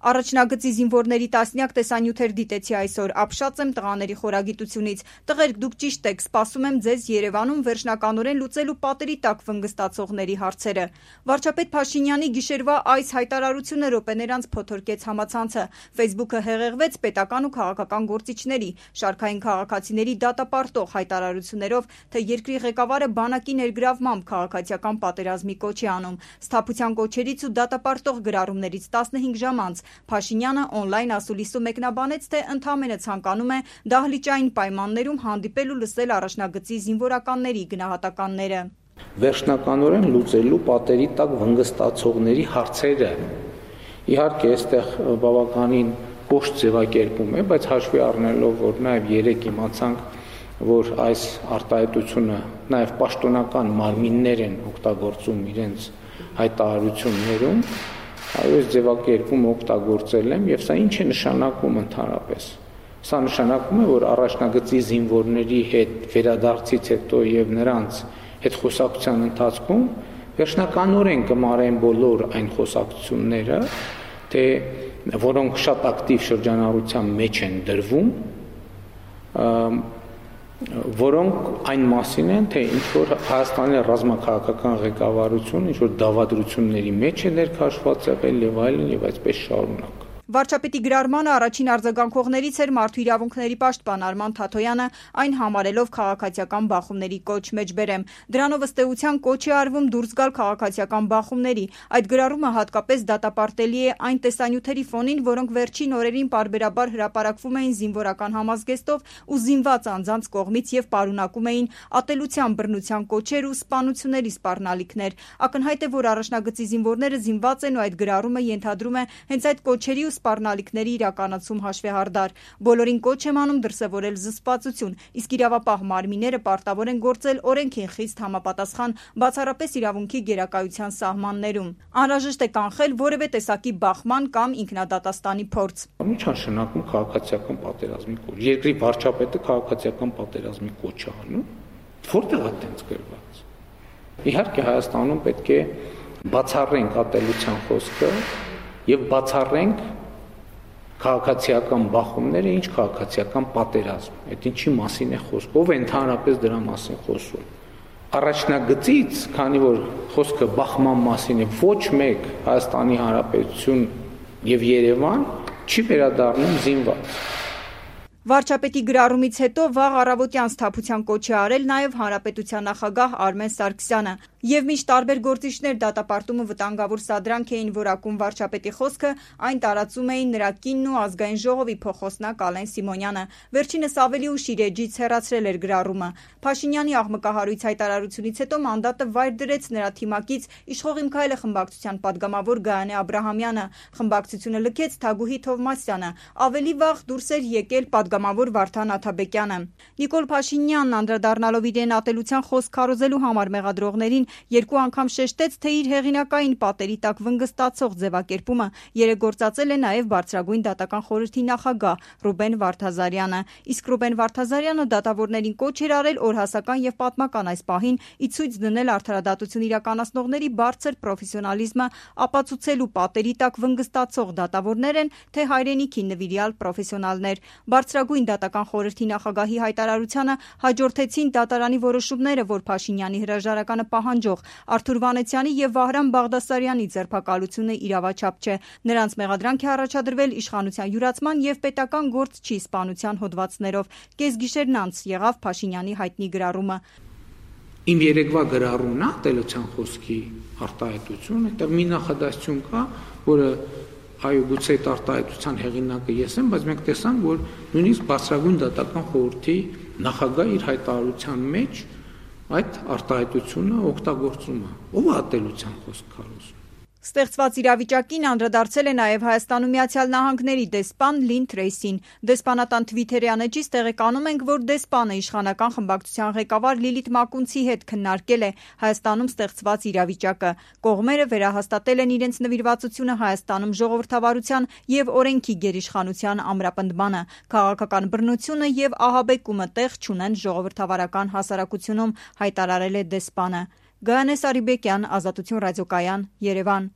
Առաջնագծի զինվորների տասնյակ տեսանյութեր դիտեցի այսօր, ապշած եմ տղաների խորագիտությունից։ Տղերք, դուք ճիշտ եք, սպասում եմ ձեզ Երևանում վերջնականորեն լուծելու պատերի տակ վնգստացողների հարցերը։ Վարչապետ Փաշինյանի գիշերվա այս հայտարարությունը րոպեներ անց փոթորկեց համացանցը։ Facebook-ը հեղեղվեց պետական ու քաղաքական գործիչների, շարքային քաղաքացիների դատապարտող հայտարարություններով, թե երկրի ղեկավարը բանակի ներգրավմամբ քաղաքացիական պատերազմի կոչ է անում։ Սթափության կոչերից ու դատապարտող գրառումներից 15 ժամ անց Փաշինյանը օնլայն ասուլիսում մեկնաբանեց, թե ընդամենը ցանկանում է դահլիճային պայմաններում հանդիպել ու լսել առաջնագծի զինվորականների գնահատականները։ Վերջնականորեն լուծելու պատերի տակ վնգստացողների հարցերը։ Իհարկե, այստեղ բավականին կոշտ ձևակերպում է, բայց հաշվի առնելով, որ նաև երեք իմացանք, որ այս արտահայտությունը նաև պաշտոնական մարմիններ են օգտագործում իրենց հայտարարություններում, այս ձևակերպումը օգտագործել եմ, եւ սա ինչ է նշանակում ընդհանրապես։ Սա նշանակում է, որ առաջնագծի զինվորների հետ վերադարձից հետո եւ նրանց հետ խոսակցության ընթացքում վերջնականորեն կմարեն բոլոր այն խոսակցությունները, թե որոնք շատ ակտիվ շրջանառության մեջ են դրվում, որոնք այն մասին են, թե ինչ որ Հայաստանի ռազմաքաղաքական ղեկավարությունը ինչ որ դավադրությունների մեջ է ներքաշված եղել եւ այլն եւ այսպես շարունակ։ Վարչապետի գրառմանը առաջին արձագանքողներից էր Մարդու իրավունքների պաշտպան Արման Թաթոյանը, այն համարելով քաղաքացիական բախումների կոչ մեջբերեմ։ Դրանով ըստ էության կոչ է արվում դուրս գալ քաղաքացիական բախումների։ Այդ գրառումը հատկապես դատապարտելի է այն տեսանյութերի ֆոնին, որոնք վերջին օրերին պարբերաբար հրապարակվում էին զինվորական համազգեստով ու զինված անձանց կողմից եւ պարունակում էին ատելության, բռնության կոչեր ու սպանությունների սպառնալիքներ։ Ակնհայտ է, որ առաջնագծի զինվորները զինված են ու այդ գրառումը ենթադրում է հենց այդ կոչերի ու սպառնալիքների իրականացում հաշվեհարդար։ Բոլորին կոչ եմ անում դրսևորել զսպվածություն, իսկ իրավապահ մարմինները պարտավոր են գործել օրենքին խիստ համապատասխան, բացառապես իրավունքի գերակայության սահմաններում։ Անհրաժեշտ է կանխել որևէ տեսակի բախման կամ ինքնադատաստանի փորձ։ Ինչ նշանակում քաղաքացիական պատերազմի կոչ։ Երկրի վարչապետը քաղաքացիական պատերազմի կոչ է անում։ Որտեղ է դենց գրված։ Իհարկե Հայաստանում պետք է բացառենք ատելության խոսքը եւ բացառենք քաղաքացիական բախումները, ինչ քաղաքացիական պատերազմ։ Այդ ինչի մասին է խոսքը, ով է ընդհանրապես դրա մասին խոսում։ Առաջնագծից, քանի որ խոսքը բախման մասին է, ոչ մեկ Հայաստանի Հանրապետություն եւ Երևան չի վերադառնում զինված։ Վարչապետի գրառումից հետո վաղ առավոտյան սթափության կոչ է արել նաև Հանրապետության նախագահ Արմեն Սարգսյանը։ Եվ միշտ տարբեր գործիչներ դատապարտումը վտանգավոր սադրանք էին որակում վարչապետի խոսքը, այն տարածում էին նրա կինն ու ազգային ժողովի փոխոսնակ Ալեն Սիմոնյանը։ Վերջինս ավելի ուշ իր էջից հեռացրել էր գրառումը։ Փաշինյանի աղմկահարույց հայտարարությունից հետո մանդատը վայր դրեց նրա թիմակից Իշխող իմ քայլը խմբակցության падգամավոր Գայանե Աբրահամյանը։ Խմբակցությունը լքեց Թագուհի Թովմասյանը։ Ավելի վաղ դուրս էր եկել падգամավոր Վարդան Աթաբեկյանը։ Նիկոլ Փաշինյանն անդրադառնալով իրեն ատելության խոսք քարոզելու համար մեղադրողներին երկու անգամ շեշտեց, թե իր հեղինակային պատերի տակ վնգստացող ձևակերպումը երեգործածել է նաև բարձրագույն դատական խորհրդի նախագահ Ռուբեն Վարդազարյանը։ Իսկ Ռուբեն Վարդազարյանը դատավորներին կոչ էր արել օրհասական եւ պատմական այս պահին ի ցույց դնել արդարադատություն իրականացնողների բարձր պրոֆեսիոնալիզմը, ապացուցելու պատերի տակ վնգստացող դատավորներ են, թե հայրենիքի նվիրյալ պրոֆեսիոնալներ։ Բարձրագույն դատական խորհրդի նախագահի հայտարարությանը հաջորդեցին դատարանի որոշումները, որ Փաշինյանի հրաժարականը պահանջող Արթուր Վանեցյանի եւ Վահրամ Բաղդասարյանի ձերբակալությունը իրավաչափ չէ։ Նրանց մեղադրանք է առաջադրվել իշխանության յուրացման եւ պետական գործչի սպանության հոդվածներով։ Կեսգիշերն անց եղավ Փաշինյանի հայտնի գրառումը։ Իմ երեկվա գրառումն է ատելության խոսքի արտահայտություն, այդտեղ մի նախադասություն կա, որը այո, գուցե այդ արտահայտության հեղինակը ես եմ, բայց մենք տեսանք, որ նույնիսկ բարձրագույն դատական խորհրդի նախագահ իր հայտարարության մեջ այդ արտահայտությունը օգտագործում է։ Ով է ատելության խոսք քարոզում։ Ստեղծված իրավիճակին անդրադարձել է նաև Հայաստանում Միացյալ Նահանգների դեսպան Լին Թրեյսին։ Դեսպանատան Թվիթերյան էջից տեղեկանում ենք, որ դեսպանը իշխանական խմբակցության ղեկավար Լիլիթ Մակունցի հետ քննարկել է Հայաստանում ստեղծված իրավիճակը։ Կողմերը վերահաստատել են իրենց նվիրվածությունը Հայաստանում ժողովրդավարության եւ օրենքի գերիշխանության ամրապնդմանը։ Քաղաքական բռնությունը եւ ահաբեկումը տեղ չունեն ժողովրդավարական հասարակությունում, հայտարարել է դեսպանը։ Գայանե Սարիբեկյան, Ազատություն ռադիոկայան, Երևան։